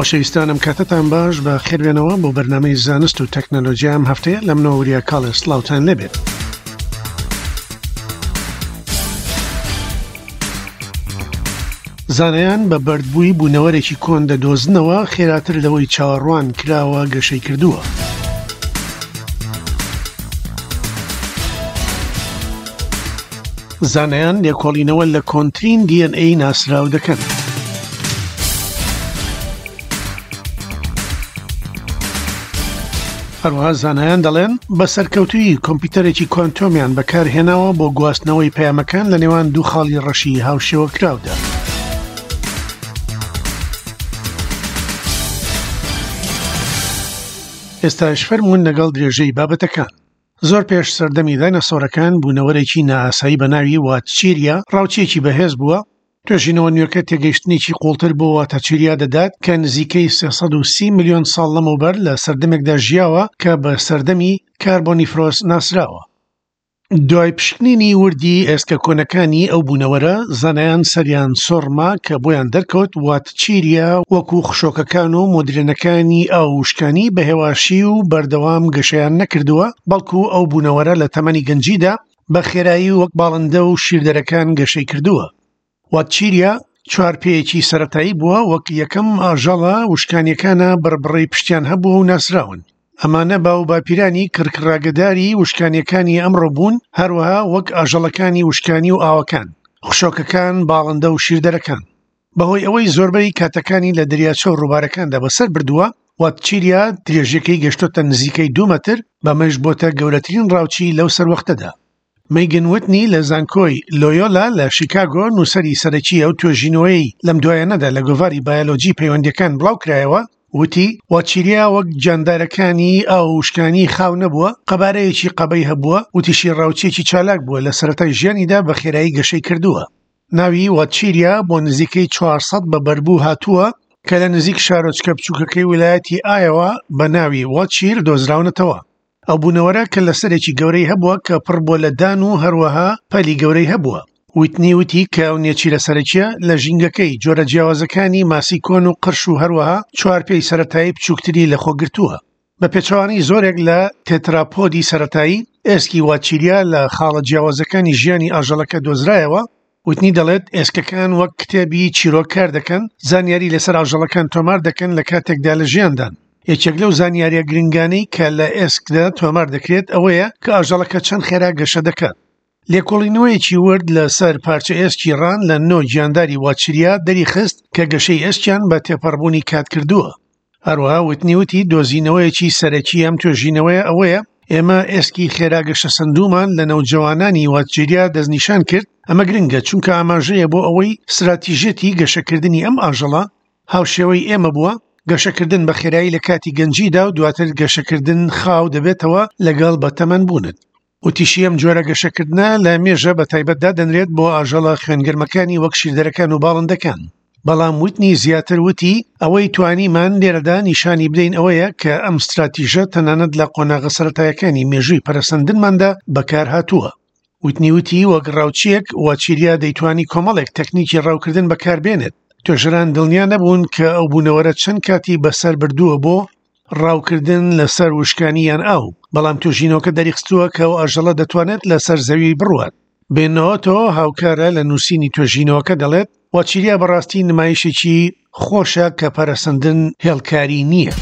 خۆشەویستان ئەم کاتەتان باش بە خێربێنەوە بۆ بەرنامەی زانست و تەکنەلۆژیا ئەم هەفتەیە لە منەوە وریا کاڵێ سڵاوتان لێبێت. زانایان بە بەردبووی بوونەوەرێکی کۆن دەدۆزنەوە خێراتر لەوەی چاوەڕوان کراوە گەشەی کردووە. زانایان لێکۆڵینەوە لە کۆنترین DNA ناسراو دەکەن. هەروەها زانایان دەڵێن بە سەرکەوتوویی کۆمپیوتەرێکی کوانتۆمیان بەکارهێناوە بۆ گواستنەوەی پەیامەکان لە نێوان دوو خاڵی ڕەشی هاوشێوەکراودا. ئێستاش فەرموون لەگەڵ درێژەی بابەتەکان. زۆر پێش سەردەمی دایناسۆرەکان بوونەوەرێکی نائاسایی بە ناوی واتچیریا ڕاوچییەکی بەهێز بووە، توێژینەوە نوێکە تێگەیشتنێکی قووڵتر بۆ واتاچیریا دەدات کە نزیکەی 330 ملیۆن ساڵ لەمەوبەر لە سەردەمێکدا ژیاوە کە بە سەردەمی کاربۆنیفرۆس ناسراوە. دوای پشکنینی وردی ئێسکە کۆنەکانی ئەو بوونەوەرە، زانایان سەریان سوڕما کە بۆیان دەرکەوت واتچیریا وەکو خشۆکەکان و مۆدرێنەکانی ئاو وشکانی بە هێواشی و بەردەوام گەشەیان نەکردووە، بەڵکو ئەو بوونەوەرە لە تەمەنی گەنجیدا بە خێرایی وەک باڵندە و شیردەرەکان گەشەی کردووە. واتچیریا چوارپێیەکی سەرەتایی بووە، وەک یەکەم ئاژەڵە وشکانییەکانە بڕبڕەی پشتیان هەبووە و ناسراون. ئەمانە باوباپیرانی کڕکڕاگەداری وشکانییەکانی ئەمڕۆ بوون، هەروەها وەک ئاژەڵەکانی وشکانی و ئاوەکان، خشۆکەکان، باڵندە و شیردەرەکان. بەهۆی ئەوەی زۆربەی کاتەکانی لە دەریاچە و ڕووبارەکاندا بەسەر بردووە، واتچیریا درێژیەکەی گەشتۆتە نزیکەی دوو مەتر، بەمەش بۆتە گەورەترین ڕاوچی لەو سەروەختەدا. مەیگن وتنی لە زانکۆی لۆیۆلا لە شیکاگۆ نووسەری سەرەکی ئەو توێژینەوەیەی لەم دوایانەدا لە گۆڤاری بایۆلۆجی پەیوەندییەکان بڵاوکرایەوە، وتی، واتچیریا وەک گیاندارەکانی ئاو و وشکانی خاو نەبووە، قەبارەیەکی قەبەی هەبووە، وتیشی ڕاوچییەکی چالاک بووە لە سەرەتای ژیانیدا بە خێرایی گەشەی کردووە. ناوی واتچیریا بۆ نزیکەی 400 بە بەربوو هاتووە کە لە نزیک شارۆچکە بچووکەکەی ویلایەتی ئایەوە بە ناوی واتچیر دۆزراونەتەوە. ئەو بوونەوەرە کە لەسەرێکی گەورەی هەبووە کە پڕ بووە لە دان و هەروەها پەلی گەورەی هەبووە. ویتنی وتی کە ئەو نێچیرە سەرەکییە لە ژینگەکەی جۆرە جیاوازەکانی ماسی کۆن و قرش و هەروەها چوارپێی سەرەتایی بچووکتری لەخۆگرتووە. بە پێچەوانەی زۆرێک لە تێتراپۆدی سەرەتایی، ئێسکی واتچیریا لە خاڵە جیاوازەکانی ژیانی ئاژەڵەکە دۆزرایەوە، وتنی دەڵێت ئێسکەکان وەک کتێبی چیرۆک کار دەکەن، زانیاری لەسەر ئاژەڵەکان تۆمار دەکەن لە کاتێکدا لە ژیاندان. یەکێک لەو زانیارییە گرنگانەی کە لە ئێسکدا تۆمار دەکرێت ئەوەیە کە ئاژەڵەکە چەند خێرا گەشە دەکات. لێکۆڵینەوەیەکی ورد لەسەر پارچە ئێسکی ڕان لە نۆ گیانداری واتچریا دەریخست کە گەشەی ئێسکیان بە تێپەڕبوونی کات کردووە. هەروەها وتنی وتی دۆزینەوەیەکی سەرەکی ئەم توێژینەوەیە ئەوەیە ئێمە ئێسکی خێرا گەشەسەندوومان لە نەوجەوانانی واتجیریا دەستنیشان کرد، ئەمە گرنگە چونکە ئاماژەیە بۆ ئەوەی ستراتیژیەتی گەشەکردنی ئەم ئاژەڵە هاوشێوەی ئێمە بووە، گەشەکردن بە خێرایی لە کاتی گەنجیدا و دواتر گەشەکردن خاو دەبێتەوە لەگەڵ بەتەمەن بوونت. وتیشی ئەم جۆرە گەشەکردنە لە مێژە بە تایبەت دادەنرێت بۆ ئاژەڵە خوێنگەرمەکانی وەک شیردەرەکان و باڵندەکان. بەڵام وتنی زیاتر وتی، ئەوەی توانیمان لێرەدا نیشانی بدەین ئەوەیە کە ئەم ستراتیژە تەنانەت لە قۆناغە سەرەتایەکانی مێژووی پەرەسەندنماندا بەکارهاتووە. وتنی وتی وەک ڕاوچییەک واچیریا دەیتوانی کۆمەڵێک تەکنیکی ڕاوکردن بەکاربێنێت. توێژەران دڵنیا نەبوون کە ئەو بوونەوەرە چەند کاتی بەسەر بردووە بۆ ڕاوکردن لەسەر وشکانی یان ئاو، بەڵام توێژینەوەکە دەریخستووە کە ئەو ئاژەڵە دەتوانێت لەسەر زەوی بڕوات. بێنۆتۆ هاوکارە لە نووسینی توێژینەوەکە دەڵێت، واچیریا بەڕاستی نمایشێکی خۆشە کە پەرەسەندن هێڵکاری نییە.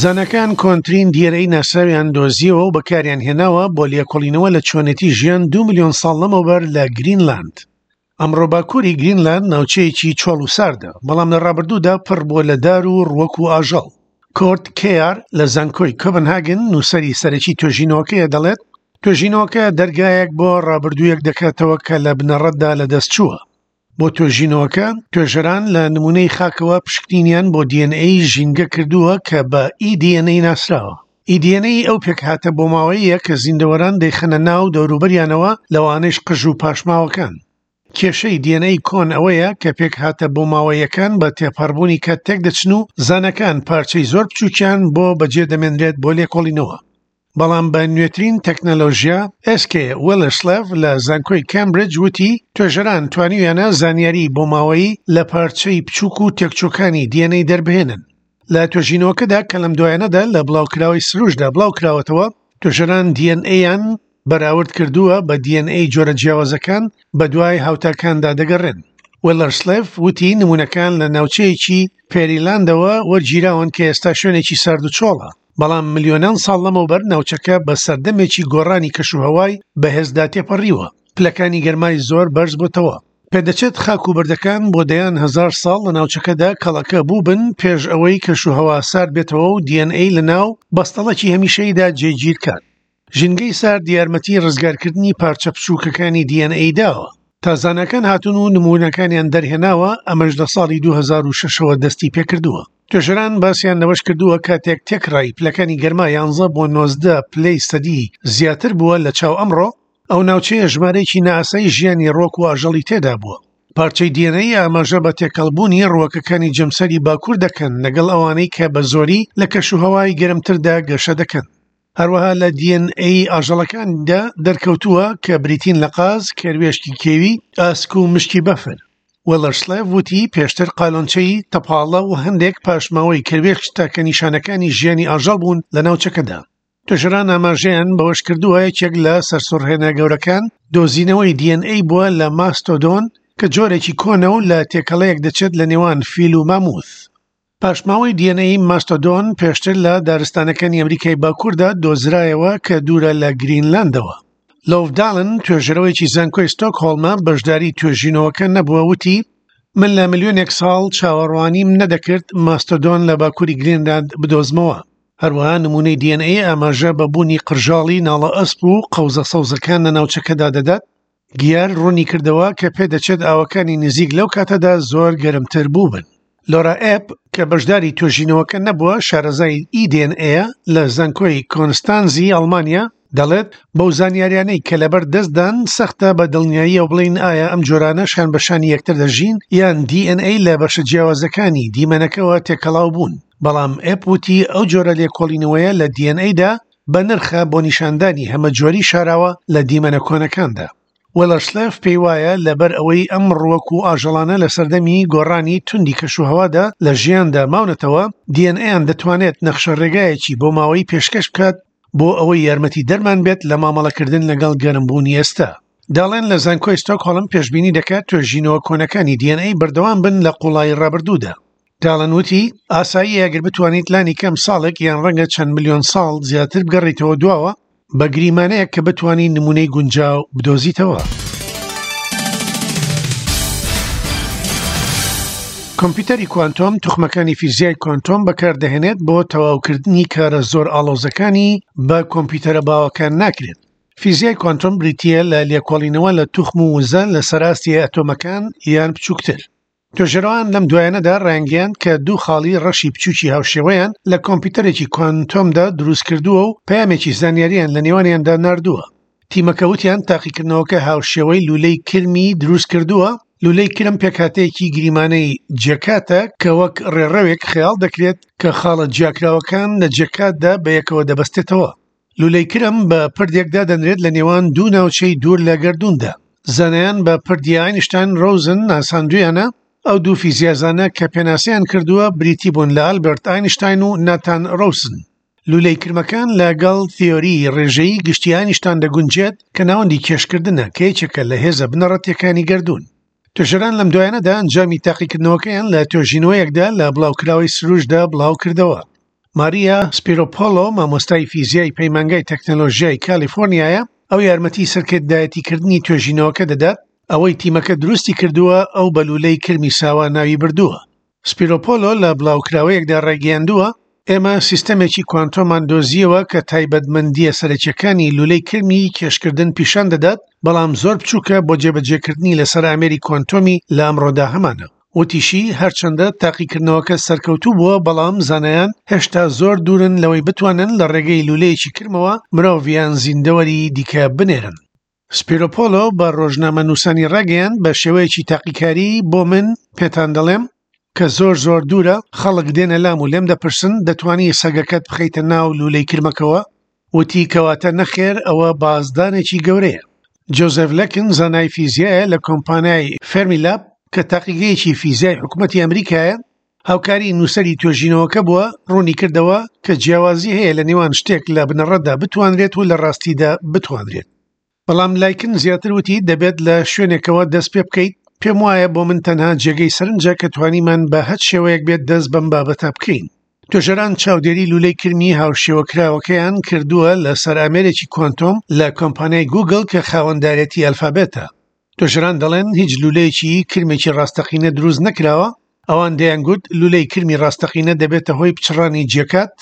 زاناکان کۆنترین دیێرەی ناسراویان دۆزیەوە و بەکاریان هێناوە بۆ لێکۆڵینەوە لە چۆنێتی ژیان 2 ملیۆن ساڵ لەمەوبەر لە گرینلاند. ئەمڕۆ باکووری گرینلاند ناوچەیەکی چۆڵ و ساردە، بەڵام لە ڕابردوودا پڕ بووە لە دار و ڕووەک و ئاژەڵ. کۆرت کێیار لە زانکۆی کۆپنهاگن نووسەری سەرەکی توێژینەوەکەیە دەڵێت، توێژینەوەکە دەرگایەک بۆ ڕابردوویەک دەکاتەوە کە لە بنەڕەتدا لەدەستچووە. بۆ توێژینەوەکە، توێژەران لە نموونەی خاکەوە پشکنینیان بۆ DNA ژینگە کردووە کە بە eDNA ناسراوە. eDNA ئەو پێکهاتە بۆماوەییە کە زیندەوەران دەیخەنە ناو دەوروبەریانەوە، لەوانەیش قژ و پاشماوەکان. کێشەی DNA کۆن ئەوەیە کە پێکهاتە بۆماوەییەکان بە تێپەڕبوونی کات تێکدەچن و زاناکان پارچەی زۆر بچووکیان بۆ بەجێدەمێنرێت بۆ لێکۆڵینەوە. بەڵام بە نوێترین تەکنەلۆژیا، ئێس کێ ویلرسلێڤ لە زانکۆی کامبریدج وتی، توێژەران توانیویانە زانیاری بۆماوەیی لە پارچەی بچووک و تێکچووەکانی DNA دەربهێنن. لە توێژینەوەکەدا کە لەم دوایانەدا لە بڵاوکراوەی سروشدا بڵاوکراوەتەوە، توێژەران DNA-یان بەراورد کردووە بە DNA جۆرە جیاوازەکان بەدوای هاوتاکاندا دەگەڕێن. ویلەرسلێڤ وتی نموونەکان لە ناوچەیەکی پێریلاندەوە وەرگیراون کە ئێستا شوێنێکی سارد و چۆڵە، بەڵام ملیۆنان ساڵ لەمەوبەر ناوچەکە بە سەردەمێکی گۆڕانی کەشوهەوای بەهێزدا تێپەڕیوە، پلەکانی گەرمای زۆر بەرزبۆتەوە. پێدەچێت خاک و بەردەکان بۆ دەیان هەزار ساڵ لە ناوچەکەدا کەڵەکە بووبن پێش ئەوەی کەشوهەوا سارد بێتەوە و DNA لەناو بەستەڵەکی هەمیشەییدا جێگیر کات. ژینگەی سارد یارمەتی ڕزگارکردنی پارچە بچووکەکانی DNA داوە. تا زاناکان هاتوون و نموونەکانیان دەرهێناوە، ئەمەش لە ساڵی 2006ەوە دەستی پێکردووە. توێژەران باسیان لەوەش کردووە کاتێک تێکڕای پلەکانی گەرما یانزە بۆ 19 پلەی سەدی زیاتر بووە لە چاو ئەمڕۆ، ئەو ناوچەیە ژمارەیەکی نائاسایی ژیانی ڕوەک و ئاژەڵی تێدا بووە. پارچەی DNA ئاماژە بە تێکەڵبوونی ڕووەکەکانی جەمسەری باکوور دەکەن لەگەڵ ئەوانەی کە بە زۆری لە کەشوهەوای گەرمتردا گەشە دەکەن. هەروەها لە DNA ئاژەڵەکاندا دەرکەوتووە کە بریتین لە قاز، کەروێشکی کێوی، ئاسک و مشکی بەفر. وێڵەرسلێڤ وتی پێشتر قالۆنچەی تەپاڵە و هەندێک پاشماوەی کەروێشک تاکە نیشانەکانی ژیانی ئاژەڵ بوون لە ناوچەکەدا. توێژەران ئاماژەیان بەوەشکردووە، یەکێک لە سەرسوڕهێنە گەورەکان دۆزینەوەی DNA بووە لە ماستۆدۆن کە جۆرێکی کۆنە و لە تێکەڵەیەک دەچێت لە نێوان فیل و ماموث. پاشماوەی DNA ماستۆدۆن پێشتر لە دارستانەکانی ئەمریکای باکووردا دۆزرایەوە کە دوورە لە گرینلاندەوە. لۆڤ دالن توێژەرەوەیەکی زانکۆی ستۆکهۆڵمە بەشداری توێژینەوەکە نەبووە وتی من لە ملیۆنێک ساڵ چاوەڕوانیم نەدەکرد ماستۆدۆن لە باکووری گرینلاند بدۆزمەوە. هەروەها نموونەی DNA ئاماژە بە بوونی قرژاڵی ناڵە ئەسپ و قەوزە سەوزەکان لە ناوچەکەدا دەدات. گیار ڕوونی کردەوە کە پێدەچێت ئاوەکانی نزیک لەو کاتەدا زۆر گەرمتر بووبن. لۆرا ئێپ کە بەشداری توێژینەوەکە نەبووە، شارەزای DNA لە زانکۆی کۆنستانزی ئەڵمانیا، دەڵێت، بەو زانیاریانەی کە لەبەر دەستدان، سەختە بە دڵنیاییەوە بڵێین ئایا ئەم جۆرانە شان بە شانی یەکتر دەژین یان DNA لە بەشە جیاوازەکانی دیمەنەکەوە تێکەڵاو بوون. بەڵام ئێپ وتی ئەو جۆرە لێکۆڵینەوەیە لە DNA دا بەنرخە بۆ نیشاندانی هەمەجۆری شاراوە لە دیمەنە کۆنەکاندا. وێڵەرسلێف پێی وایە لەبەر ئەوەی ئەم ڕووەک و ئاژەڵانە لە سەردەمی گۆڕانی توندی کەشوهەوادا لە ژیاندا ماونەتەوە، DNA-یان دەتوانێت نەخشەڕێگایەکی بۆماوەیی پێشکەش بکات بۆ ئەوەی یارمەتیدەرمان بێت لە مامەڵەکردن لەگەڵ گەرمبوونی ئێستا. داڵێن لە زانکۆی ستۆکهۆڵم پێشبینی دەکات توێژینەوە کۆنەکانی DNA بەردەوام بن لە قوڵایی ڕابردوودا. داڵن وتی، ئاساییە ئەگەر بتوانیت لانی کەم ساڵێک یان ڕەنگە چەند ملیۆن ساڵ زیاتر بگەڕێیتەوە دواوە، بە گریمانەیەک کە بتوانی نموونەی گونجاو بدۆزیتەوە. کۆمپیوتەری کوانتۆم توخمەکانی فیزیای کوانتۆم بەکاردەهێنێت بۆ تەواوکردنی کارە زۆر ئاڵۆزەکانی بە کۆمپیوتەرە باوەکان ناکرێت. فیزیای کوانتۆم بریتییە لە لێکۆڵینەوە لە توخم و وزە لەسەر ئاستی ئەتۆمەکان یان بچووکتر. توێژەرەوان لەم دوایانەدا ڕایانگەیاند کە دوو خاڵی ڕەشی بچووکی هاوشێوەیان لە کۆمپیوتەرێکی کوانتۆمدا دروستکردووە و پەیامێکی زانیارییان لە نێوانیاندا ناردووە. تیمەکە وتیان تاقیکردنەوەکە هاوشێوەی لوولەی کرمی دروستکردووە، لوولەی کرم پێکهاتەیەکی گریمانەی جێکاتە کە وەک ڕێڕەوێک خەیاڵ دەکرێت کە خاڵە جیاکراوەکان لە جێکاتدا بەیەکەوە دەبەستێتەوە. لولەی کرم بە پردێک دادەنرێت لە نێوان دوو ناوچەی دوور لە گەردووندا. زانایان بە پردی ئاینشتاین ڕۆزن ناساندوویانە، ئەو دوو فیزیازانە کە پێناسەیان کردووە بریتی بوون لە ئالبێرت ئاینشتاین و ناتان ڕۆسن. لولەی کرمەکان لەگەڵ تیۆریی ڕێژەیی گشتی ئاینشتان دەگونجێت کە ناوەندی کێشکردنە کە یەکێکە لە هێزە بنەڕەتییەکانی گەردوون. توێژەران لەم دوایانەدا ئەنجامی تاقیکردنەوەکەیان لە توێژینەوەیەکدا لە بڵاوکراوەی سروشتدا بڵاوکردەوە. ماریا سپیرۆپۆلۆ مامۆستای فیزیای پەیمانگای تەکنەلۆژیای کالیفۆرنیایە، ئەو یارمەتی سەرکردایەتیکردنی توێژینەوەکە دەدات، ئەوەی تیمەکە دروستی کردووە ئەو بە لوولەی کرمی ساوا ناوی بردووە. سپیرۆپۆلۆ لە بڵاوکراوەیەکدا ڕایگەیاندووە، ئێمە سیستەمێکی کوانتۆمان دۆزییەوە کە تایبەتمەندییە سەرەکییەکانی لوولەی کرمی کێشکردن پیشان دەدات، بەڵام زۆر بچووکە بۆ جێبەجێکردنی لەسەر ئامێری کوانتۆمی لە ئەمڕۆدا هەمانە. وتیشی، هەرچەندە تاقیکردنەوەکە سەرکەوتوو بووە، بەڵام زانایان هێشتا زۆر دوورن لەوەی بتوانن لە ڕێگەی لوولەیەکی کرمەوە مرۆڤ یان زیندەوەری دیکە بنێرن. سپیرۆپۆلۆ بە ڕۆژنامەنووسانی ڕاگەیاند، بە شێوەیەکی تاقیکاری بۆ من پێتان دەڵێم کە زۆر زۆر دوورە، خەڵک دێنە لام و لێم دەپرسن دەتوانی سەگەکەت بخەیتە ناو لوولەی کرمەکەوە؟ وتی کەواتە نەخێر ئەوە بازدانێکی گەورەیە. جۆزێف لەکن زانای فیزیایە لە کۆمپانیای فێرمیلاب کە تاقیگەیەکی فیزیای حکومەتی ئەمریکایە، هاوکاری نووسەری توێژینەوەکە بووە، ڕوونی کردەوە کە جیاوازی هەیە لە نێوان شتێک لە بنەڕەتدا بتوانرێت و لە ڕاستیدا بتوانرێت. بەڵام لایکن زیاتر وتی دەبێت لە شوێنێکەوە دەست پێ بکەیت، پێم وایە بۆ من تەنها جێگەی سەرنجە کە توانیمان بە هەچ شێوەیەک بێت دەست بەم بابەتە بکەین. توێژەران چاودێری لولەی کرمی هاوشێوەکراوەکەیان کردووە لەسەر ئامێرێکی کوانتۆم لە کۆمپانیای گوگڵ کە خاوەندارێتی ئەلفابێتە. توێژەران دەڵێن هیچ لولەیەکی کرمێکی ڕاستەقینە دروست نەکراوە، ئەوان دەیانگوت لولەی کرمی ڕاستەقینە دەبێتە هۆی پچڕانی جێکات،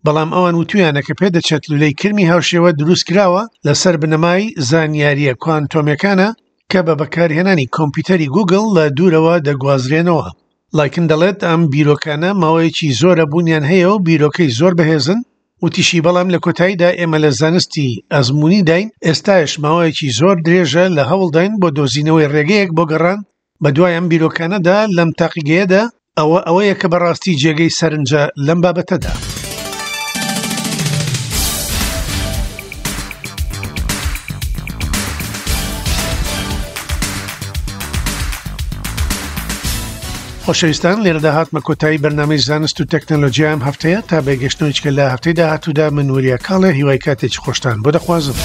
بەڵام ئەوان وتویانە کە پێدەچێت لولەی کرمی هاوشێوە دروست کراوە لەسەر بنەمای زانیارییە کوانتۆمیەکانە کە بە بەکارهێنانی کۆمپیوتەری گوگڵ لە دوورەوە دەگوازرێنەوە. لایکن دەڵێت ئەم بیرۆکانە ماوەیەکی زۆرە بوونیان هەیە و بیرۆکەی زۆر بەهێزن، وتیشی بەڵام لە کۆتاییدا ئێمە لە زانستی ئەزموونیداین، ئێستاش ماوەیەکی زۆر درێژە لە هەوڵداین بۆ دۆزینەوەی ڕێگەیەک بۆ گەڕان بەدوای ئەم بیرۆکانەدا لەم تاقیگەیەدا، ئەوە ئەوەیە کە بەڕاستی جێگەی سەرنجە لەم بابەتەدا. خۆشەویستان لێرەدا هاتمە کۆتایی بەرنامەی زانست و تەکنەلۆژیا ئەم هەفتەیە تا بەگەشتنەوەیچکە لە هەفتەی داهاتوودا من وریا کاڵێ هیوای کاتێکی خۆشتان بۆ دەخوازم.